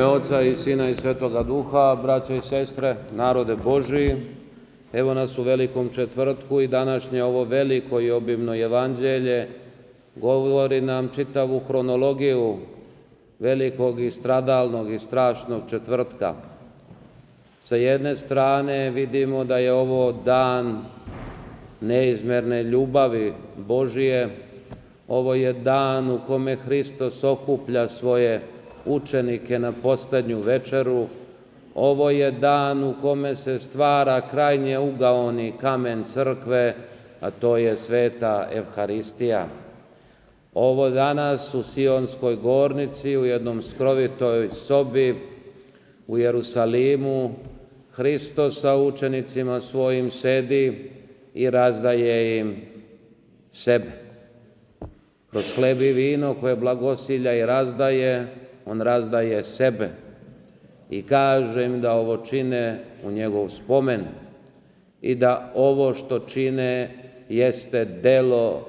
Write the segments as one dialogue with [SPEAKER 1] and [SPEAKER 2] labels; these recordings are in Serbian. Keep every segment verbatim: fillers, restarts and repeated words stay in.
[SPEAKER 1] Oca i Sina i Svetoga Duha, braćo i sestre, narode Božiji, evo nas u Velikom četvrtku i današnje ovo veliko i obimno evanđelje govori nam čitavu hronologiju velikog i stradalnog i strašnog četvrtka. Sa jedne strane vidimo da je ovo dan neizmerne ljubavi Božije, ovo je dan u kome Hristos okuplja svoje učenike na posljednju večeru, ovo je dan u kome se stvara krajnje ugaoni kamen crkve, a to je sveta Evharistija. Ovo danas u Sionskoj gornici, u jednom skrovitoj sobi u Jerusalimu, Hristos sa učenicima svojim sedi i razdaje im sebe. Kroz hleb i vino koje blagosilja i razdaje, on razdaje sebe i kaže im da ovo čine u njegov spomen i da ovo što čine jeste delo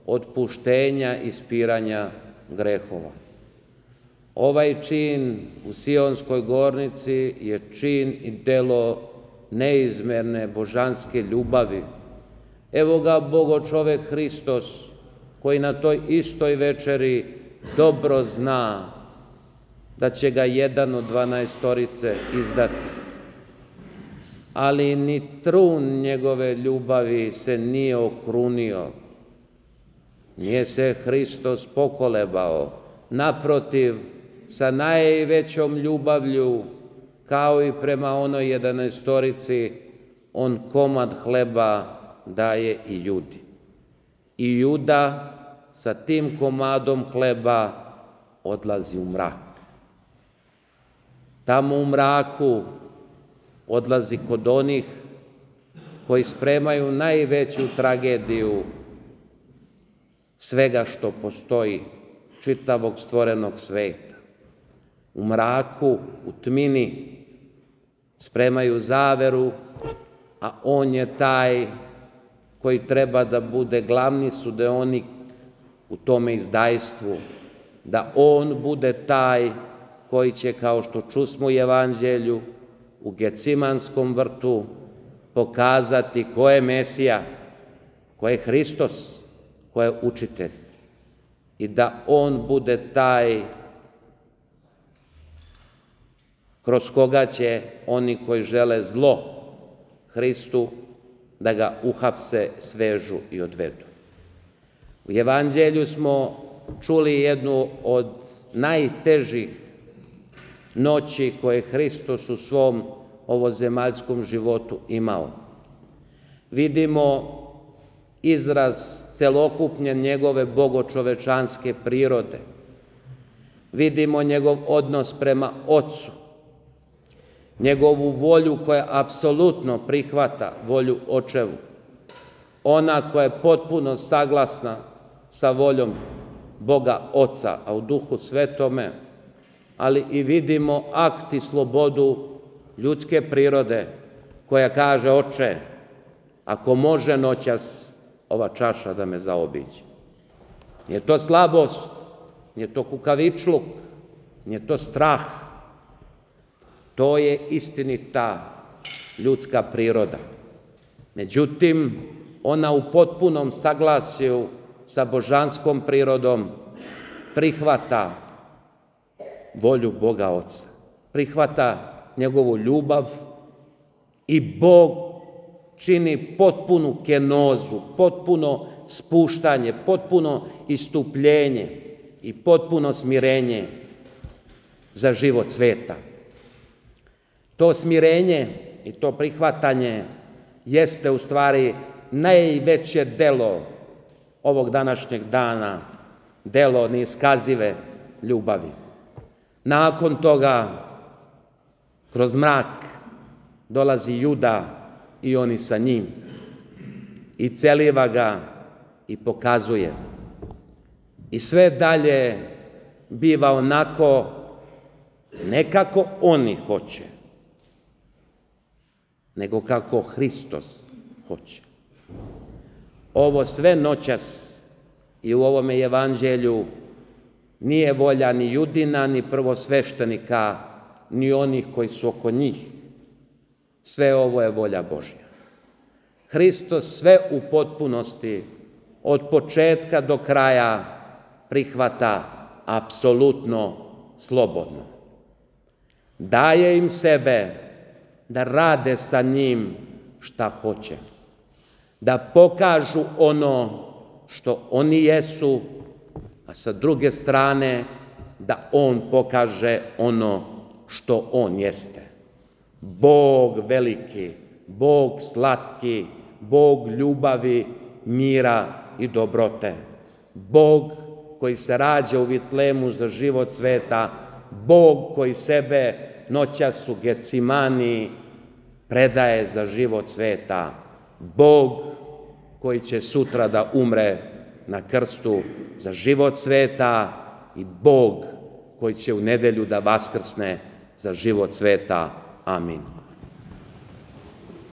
[SPEAKER 1] otpuštenja i spiranja grehova. Ovaj čin u Sionskoj gornici je čin i delo neizmerne božanske ljubavi. Evo ga Bogo čovek Hristos, koji na toj istoj večeri dobro zna da će ga jedan od dvanaestorice izdati. Ali ni trun njegove ljubavi se nije okrunio. Nije se Hristos pokolebao. Naprotiv, sa najvećom ljubavlju, kao i prema onoj jedanaestorici, on komad hleba daje i Judi. I Juda sa tim komadom hleba odlazi u mrak. Tamo u mraku odlazi kod onih koji spremaju najveću tragediju svega što postoji, čitavog stvorenog sveta. U mraku, u tmini spremaju zaveru, a on je taj koji treba da bude glavni sudeonik u tome izdajstvu, da on bude taj koji će, kao što čusmo u evanđelju, u Gecimanskom vrtu pokazati ko je Mesija, ko je Hristos, ko je učitelj i da on bude taj kroz koga će oni koji žele zlo Hristu da ga uhapse, svežu i odvedu. U evanđelju smo čuli jednu od najtežih noći koje Hristos u svom ovozemaljskom životu imao. Vidimo izraz celokupnje njegove bogočovečanske prirode. Vidimo njegov odnos prema Ocu, njegovu volju koja apsolutno prihvata volju Očevu, ona koja je potpuno saglasna sa voljom Boga Oca, a u Duhu Svetome, ali i vidimo akt i slobodu ljudske prirode koja kaže: Oče, ako može noćas ova čaša da me zaobiđe. Nije to slabost, nije to kukavičluk, nije to strah. To je istinita ljudska priroda. Međutim, ona u potpunom saglasju sa božanskom prirodom prihvata volju Boga Oca, prihvata njegovu ljubav i Bog čini potpunu kenozu, potpuno spuštanje, potpuno istupljenje i potpuno smirenje za život sveta. To smirenje i to prihvatanje jeste u stvari najveće delo ovog današnjeg dana, delo neiskazive ljubavi. Nakon toga, kroz mrak, dolazi Juda i oni sa njim i celiva ga i pokazuje. I sve dalje biva onako, ne kako oni hoće, nego kako Hristos hoće. Ovo sve noćas i u ovome evanđelju Nije volja ni Judina, ni prvosveštenika, ni onih koji su oko njih. Sve ovo je volja Božja. Hristos sve u potpunosti, od početka do kraja, prihvata apsolutno slobodno. Daje im sebe da rade sa njim šta hoće, da pokažu ono što oni jesu, a sa druge strane da on pokaže ono što on jeste. Bog veliki, Bog slatki, Bog ljubavi, mira i dobrote. Bog koji se rađa u Vitlemu za život sveta, Bog koji sebe noćas u Getsimani predaje za život sveta, Bog koji će sutra da umre na krstu za život sveta i Bog koji će u nedelju da vaskrsne za život sveta. Amin.